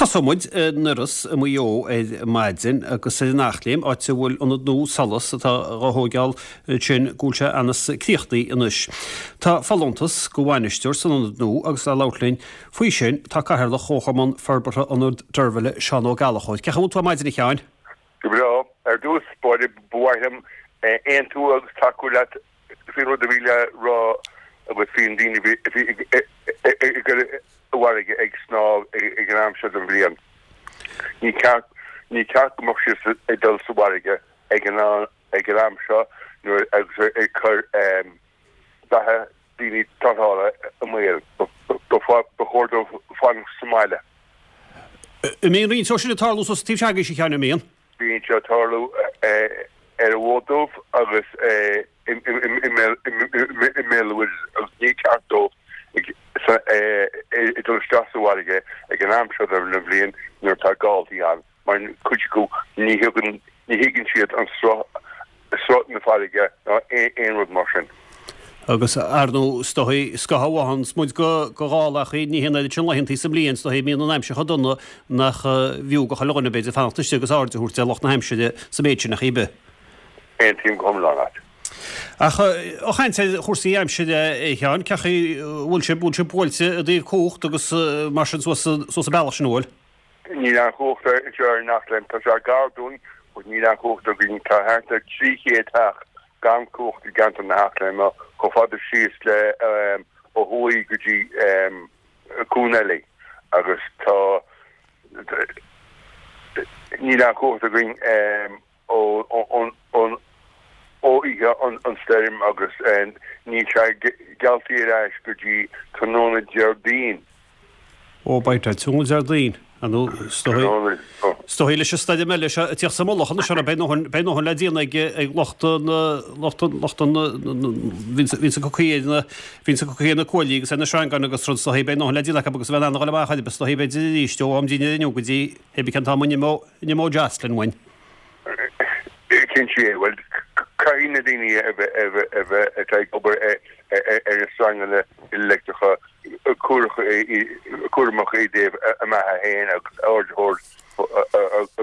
Tosóidh muid i nDoireas i Maigh Eo ar maidin agus ar an Eachléim, áit a bhfuil ionad nua Solas atá dhá thóigeáil ansin go bhfuil sé anas críochnaithe anois. Tá folúntas go bhainisteoir san ionad nua agus le labhairt linn faoi sin tá Cathaoirleach Chomharchumann Forbartha Ionad Deirbhile, Seán Ó Gallchóir. Cén chaoi a bhfuil tú ar maidin a Sheáin? Go breá. Ar dtús báire ba mhaith liom aontú agus tacú leat faoin rud a bhí le rá agat faoi na daoine a bhí ag dul i bhfarraige ag snámh ag an am seo den bhliain. Ní ceart ní ceart go mbeadh siad ag dul sa bhfarraige ag an ag an am seo nuair agus ag cur beatha daoine tarrthála i mbaol. Ba chóir dóibh fanacht sa mbaile. An mbíonn roinnt dó sin ag tarlú suas an taobh seo agaibhse a Sheáin, an mbíonn? Bíonn sé ag tarlú ar an bhFód Dubh agus i mBéal an Mhuirthead agus ní ceart dóibh dul isteach sa bhfarraige ag an am seo den bhliain nuair atá gáltaí ann mar cuid acu ní thuigeann siad an sruth sruth na farraige ná aon rud mar sin. Agus ar ndóigh, is dóichí, scaitheamh a fhaigheanns muid go gálachaí, ní hé an oiread sin laethantaí sa mbliain, is dóichí, mbíonn an aimsir chomh dona nach bhfiú go chuile dhuine, b'fhéidir, fanacht istigh agus aird a thabhairt ar lucht na haimsire sa mhéid sin, ach ar bith. Aontaím go hiomlán leat. Ach ó chaint ar chúrsaí aimsire, a Sheáin, cén chaoi a bhfuil sibh, bhfuil sibh buailte i dtaobh cumhacht agus mar sin suas suas an bealach sin, an bhfuil? Níl aon chumhacht anseo ar an Eachléim. Tá sé gar dúinn but níl aon chumhacht againn. Tá thart ar 300 teach gan cumhacht i gceantar na hEachléime, chomh fada síos le ó thuaidh go dtí Cuan Eilí agus tá níl aon chumhacht againn. ó oíche an stoirm agus níl sé geallta ar ais go dtí tráthnóna Déardaoin. Ó, beidh sé tráthnóna Déardaoin. Ar ndóigh, is dóichí, is dóichí leis an stoirm eile seo ag tíocht sa mullach anois orthu, beidh ndóthain, beidh ndóthain le déanamh ag, ag lucht an, lucht an, lucht an, bhíonns ag cur caoi ar na, bhíonns ag cur caoi ar na cuaillí agus ar na sreangáin agus rud, is dóichí, beidh ndóthain le déanamh acu agus a bheith in ann a dhul amach orthu, is dóichí, b'fhéidir arís ó am dinnéir inniu go dtí, hé bí cén t-am a n-imeoidh, n-imeoidh Jocelyn uainn. Cinnte, bhuel, caithfidh na daoine a bheith atá ag obair ar na sreanganna leictreacha cúramach i dtaobh a mbeatha féin agus aird a thabhairt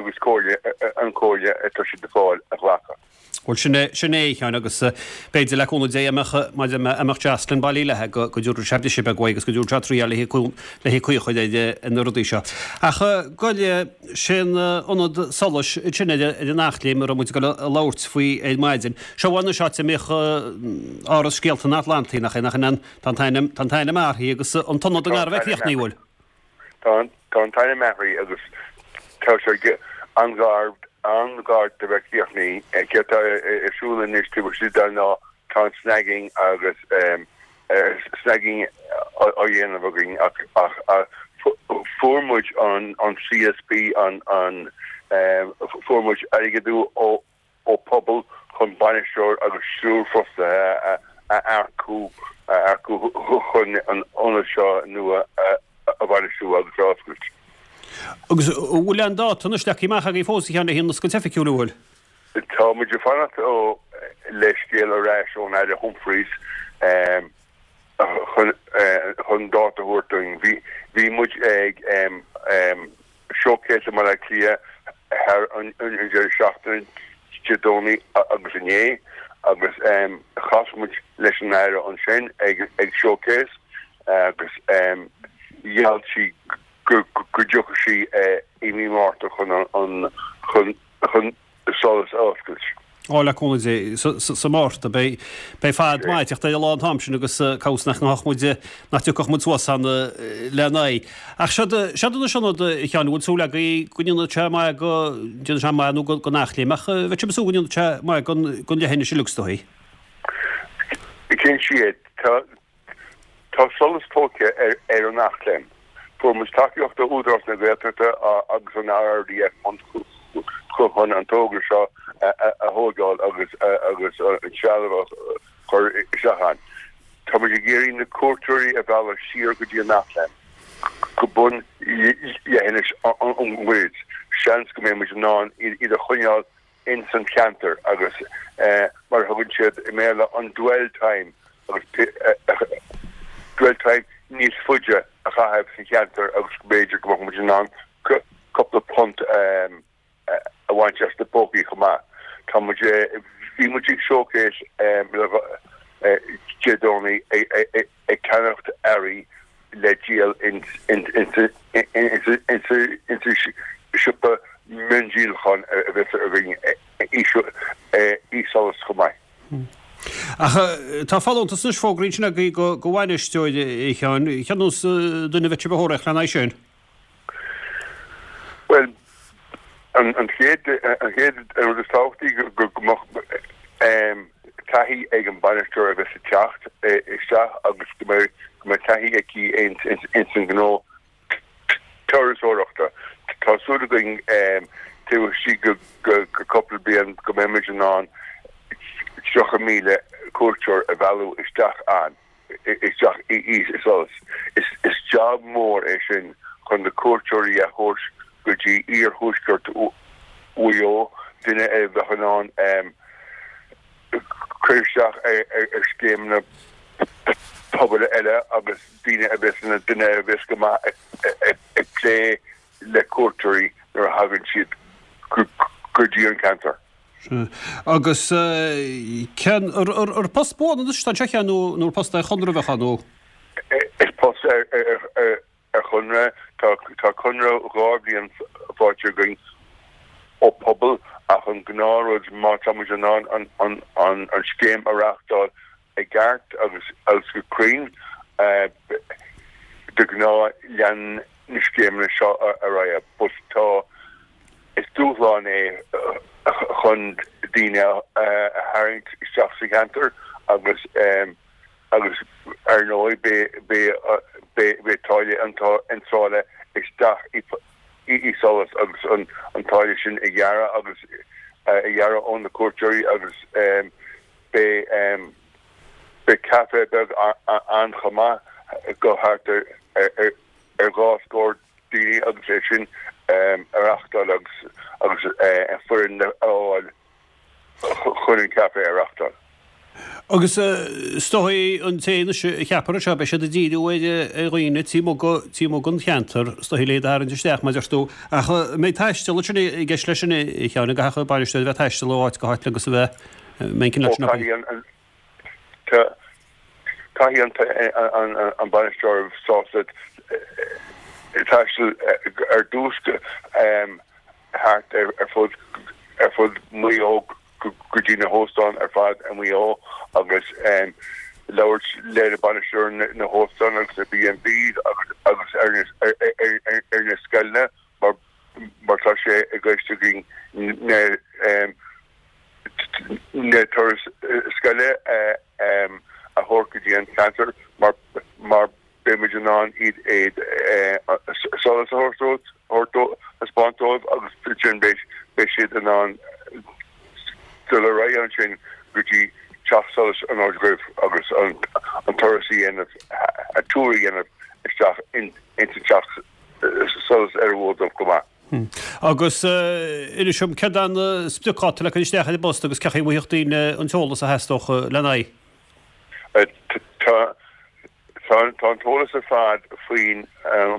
agus comhairle an chomhairle atá siad ag fáil a ghlacadh. Bhuel, sin é, sin é, a Sheáin, agus b'fhéidir, le cúnamh Dé, a mbeadh, maidir a mbeadh Jocelyn bailí léithe, go, go dtabharfadh sé briseadh beag uaidh agus go dtabharfadh sé triail léi, léi caoi a chur ar na rudaí seo. Ach goil, sin ionad solais ansin ar an Eachléim a raibh muid ag dul a labhairt faoi ar maidin. Seo anois áit a mbíodh Áras Scéalta an Atlantaigh, nach é, nach in an, tá an t-ainm, tá an t-ainm athraithe agus an t-ionad i ngar a bheith críochnaithe, an bhfuil? Tá an t-ainm athraithe agus tá sé an-ghar, an-ghar do bheith críochnaithe. Céard atá ar siúl anois taobh istigh de ná tá an snagging agus snagging á dhéanamh againn ach fuair muid an CSP, an, fuair muid airgead ó ó Pobal chun bainisteoir agus triúr fostaithe a earcú a earcú chun an ionad seo nua a bhainistiú agus a oscailt. Agus an bhfuil aon dáta anois leagtha amach agaibh fós a Sheáin le haghaidh an oscailt oifigiúil, an bhfuil? Tá muid ag fanacht le scéal ar ais ón Aire Humphreys chun chun dáta a thabhairt dúinn. Bhí bhí muid ag Showcase i mBaile Átha Cliath thar an deireadh seachtaine, Dé Domhnaigh agus inné, agus chas muid leis an Aire ansin ag Showcase agus gheall sí go dtiocfadh sí i mí Márta chun chun Solas a oscailt. Ó, le cúnamh Dé, sa Márta. Beidh fad maith ag teacht ar an lá an t-am sin agus cá bhfios nach ngabhfadh muid, nach dtiocfadh muid suas ann lena aghaidh. Ach seod anois ionad, a Sheáin, an bhfuil súil agaibh go ndéanfaidh sé maith go, ndéanfaidh sé maith nó don Eachléim, ach bheadh sibh ag súil go ndéanfaidh sé maith don leithinis uilig is dóichí. Cinnte, tá Tá Solas tógtha ar an Eachléim. Fuair muid tacaíocht ó Údarás na Gaeltachta agus an RRDF chun an togra seo a thóigeáil agus agus an trealamh a chur isteach ann. Tá muid ag iarraidh na cuairteoirí a mhealladh siar go dtí an Eachléim, go bun leithinis an Mhuirthid. Seans go mbeidh muid in ann iad a choinneáil ins an cheantar agus mar a thugann siad i mBéarla an dwell time agus dwell time níos faide a chaitheamh sa cheantar agus b'fhéidir go mbeadh muid in ann go. a bhaint as na pócaí chomh maith. Tá muid, bhí muid ag Showcase Dé Domhnaigh ag ceannacht earraí le díol insa siopa miondíolacháin a bheas againn i Solas chomh maith. Ach tá folúntas anois fógraithe ansin agaibh do bhainisteoir, a Sheáin. Cén nós duine a bheadh sibh a thóraíocht lena aghaidh sin? Bhuel, an chéad an chéad rud is tábhachtaí go mbeadh taithí ag an bainisteoir a bheas ag teacht isteach agus go mbeidh go mbeidh taithí aici ins an gnó turasóireachta. Tá súil againn taobh istigh de cúpla bliain go mbeimid in ann 30,000 cuairteoir a mhealladh isteach ann. isteach i Solas. Is job mór é sin chun na cuairteoirí a thabhairt go dtí iarthuaisceart Mhaigh Eo, duine a bheadh in ann cur isteach ar scéimeanna pobail eile agus daoine a bheas ina duine a bheas go maith ag plé le cuairteoirí nuair a thagann siad go dtí an ceantar. Sea. Agus cén, ar post buan anois atá anseo, a Sheáin, nó nó ar post ar chonradh a bheadh ann, nó? Is post ar chonradh, tá conradh 2 bhliain faighte againn ó Pobal ach an gnáthrud má tá muid in ann an scéim a reáchtáil i gceart agus agus go cruinn, de ghnáth leanann na scéimeanna seo ar aghaidh. But tá, is dúshlán é chun daoine a tharraingt isteach sa cheantar agus agus ar ndóigh beidh táille iontrála isteach i Solas agus an táille sin a ghearradh agus a ghearradh ó na cuairteoirí agus Beidh caife beag ann chomh maith go thart ar 2 scór daoine agus é sin a reáchtáil agus agus foireann a fháil chun an caife a reáchtáil. Agus is dóigh an té anois a cheapfar anseo, beidh siad ag díriú ar dhaoine taobh amuigh den cheantar, is dóigh le iad a tharraingt isteach, mar a deir tú. Ach an mbeidh taisteal ansin i gceist leis sin, a Sheáin, an gcaithfeadh an bainisteoir a bheith ag taisteal ó áit go háit agus a bheith Caithfidh an bainisteoir sásta taisteal ar dtús thart ar fud ar fud Mhaigh Eo go dtí na hóstáin ar fad i Maigh Eo agus labhairt le na bainisteoirí na hóstáin agus na B&Bs agus ar na scoileanna mar tá sé i gceist againn na na turais scoile a thabhairt go dtí an ceantar mar mar beidh muid in ann iad Solas a thabhairt dóibh, thaispeáint dóibh agus ansin beidh siad in ann dul ar aghaidh ansin go dtí Teach Solais an Aird Dhuibh agus an turas a dhéanamh, a tour a dhéanamh isteach ins an Teach Solais ar an bhFód Dubh chomh maith. Agus inis dom, céard é an spriocdháta le cur isteach ar an bpost agus cén chaoi a bhfaighidh daoine an t-eolas a theastódh lena aghaidh? Tá an t-eolas ar fad faoin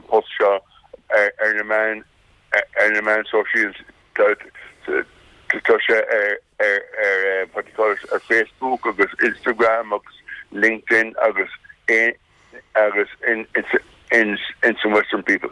bpost seo ar na meáin ar na meáin sóisialta. Tá sé ar ar what do you call it ar Facebook agus Instagram agus LinkedIn agus agus ins an Western People.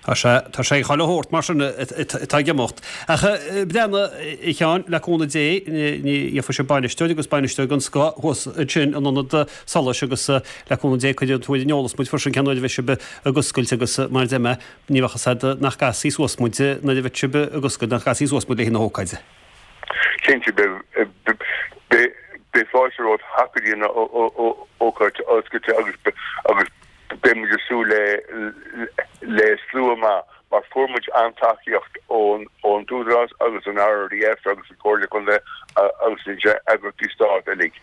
Tá sé, tá sé ag chuile shórt mar sin atá ag imeacht. Ach breathnaigh, a Sheáin, le cúnamh Dé, ní gheobhaidh sibh bainisteoir agus bainisteoir den scoth thuas ansin in Ionad Solais agus le cúnamh Dé cuirfidh tú ar an eolas muid freisin cén uair a bheidh sibh ag oscailt agus mar a deir mé, ní bheadh fhios agat nach gcasfaí suas muid nuair a bheidh sibh ag oscailt, nach gcasfaí suas muid le haghaidh na hócáide. Cinnte, beidh fáilte romhat theacht go dtí an ócáid oscailte agus beidh muid ag súil le slua maith mar fuair muid an-tacaíocht ón t-údarás agus an RRDF agus an Chomhairle Contae agus na eagraíochtaí stáit uilig.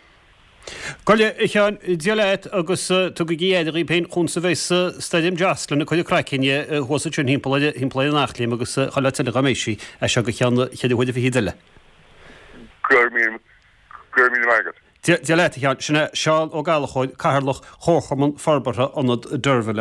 Go leith, a Sheáin, Dia leat agus tugaigí aire dhaoibh féin chúns a bheas Stoirm Jocelyn ag cur a craicinn thuas ansin thimpeall ar thimpeall ar an Eachléim agus chuile áit eile dá mbeidh sí, as seo go ceann cheithre huaire fichid eile. Go raibh míle, go raibh míle maith agat. Dia leat, a Sheáin. Sin é Seán Ó Gallchóir, Cathaoirleach Chomharchumann Forbartha Ionad Deirbhile.